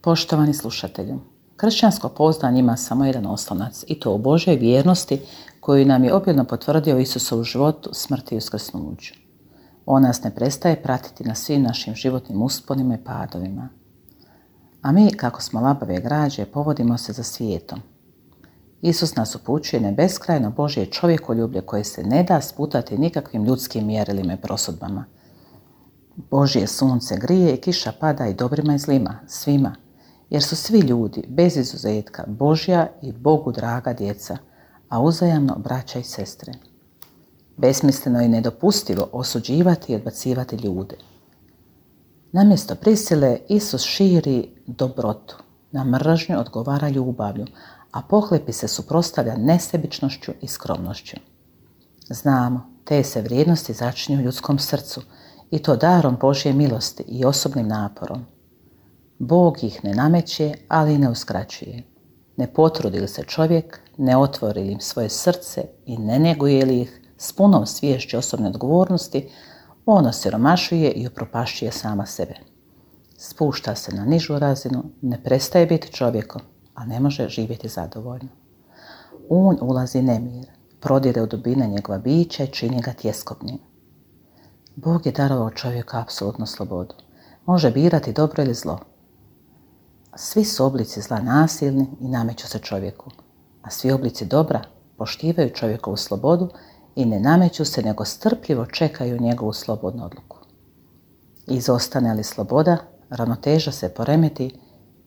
Poštovani slušatelju, kršćansko pouzdanje ima samo jedan oslonac i to u Božoj vjernosti koju nam je obilno potvrdio Isusovu životu, smrti i uskrsnuću. On nas ne prestaje pratiti na svim našim životnim usponima i padovima. A mi, kako smo labave građe, povodimo se za svijetom. Isus nas upućuje na beskrajno Božje čovjekoljublje koje se ne da sputati nikakvim ljudskim mjerilima i prosudbama. Božje sunce grije i kiša pada i dobrima i zlima, svima, jer su svi ljudi, bez izuzetka, Božja i Bogu draga djeca, a uzajamno braća i sestre. Besmisleno i nedopustivo osuđivati i odbacivati ljude. Namjesto prisile, Isus širi dobrotu, na mržnju odgovara ljubavlju, a pohlepi se suprotstavlja nesebičnošću i skromnošću. Znamo, te se vrijednosti začinju u ljudskom srcu, i to darom Božje milosti i osobnim naporom. Bog ih ne nameće, ali i ne uskraćuje. Ne potrudi li se čovjek, ne otvori li im svoje srce i ne njeguje li ih s punom sviješću osobne odgovornosti, on osiromašuje i upropašćuje sama sebe. Spušta se na nižu razinu, ne prestaje biti čovjekom, a ne može živjeti zadovoljno. On ulazi nemir, prodire u dubine njegova bića i čini ga tjeskobnim. Bog je darovao čovjeku apsolutnu slobodu. Može birati dobro ili zlo. Svi su oblici zla nasilni i nameću se čovjeku, a svi oblici dobra poštivaju čovjekovu slobodu i ne nameću se, nego strpljivo čekaju njegovu slobodnu odluku. Izostane li sloboda, ravnoteža se poremeti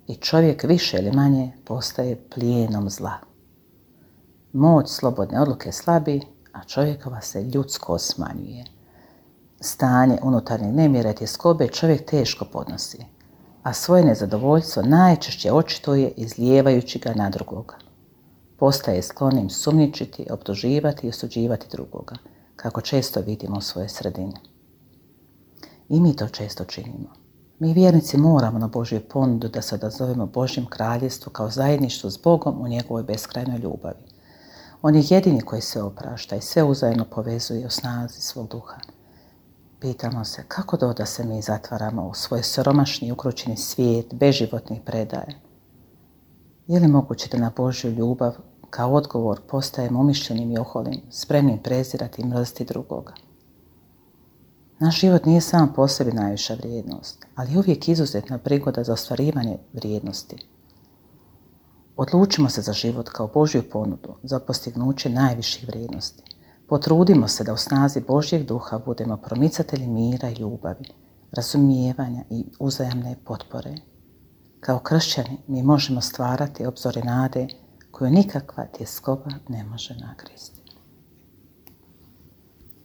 i čovjek više ili manje postaje plijenom zla. Moć slobodne odluke slabi, a čovjekova se ljudsko smanjuje. Stanje unutarnjeg nemira i tjeskobe čovjek teško podnosi, a svoje nezadovoljstvo najčešće očituje izlijevajući ga na drugoga. Postaje sklonim sumnjičiti, optuživati i osuđivati drugoga, kako često vidimo u svojoj sredini. I mi to često činimo. Mi vjernici moramo na Božju ponudu da se odazovemo Božjem kraljevstvu kao zajedništvu s Bogom u njegovoj beskrajnoj ljubavi. On je jedini koji sve oprašta i sve uzajamno povezuje u snazi svog duha. Pitamo se kako da se mi zatvaramo u svoj siromašni i ukrućeni svijet beživotnih predaja. Je li moguće da na Božju ljubav kao odgovor postajemo umišljenim i oholim, spremnim prezirati i mrziti drugoga? Naš život nije sam po sebi najviša vrijednost, ali je uvijek izuzetna prigoda za ostvarivanje vrijednosti. Odlučimo se za život kao Božju ponudu, za postignuće najviših vrijednosti. Potrudimo se da u snazi Božjeg duha budemo promicatelji mira i ljubavi, razumijevanja i uzajamne potpore. Kao kršćani mi možemo stvarati obzore nade koju nikakva tjeskoba ne može nagristi.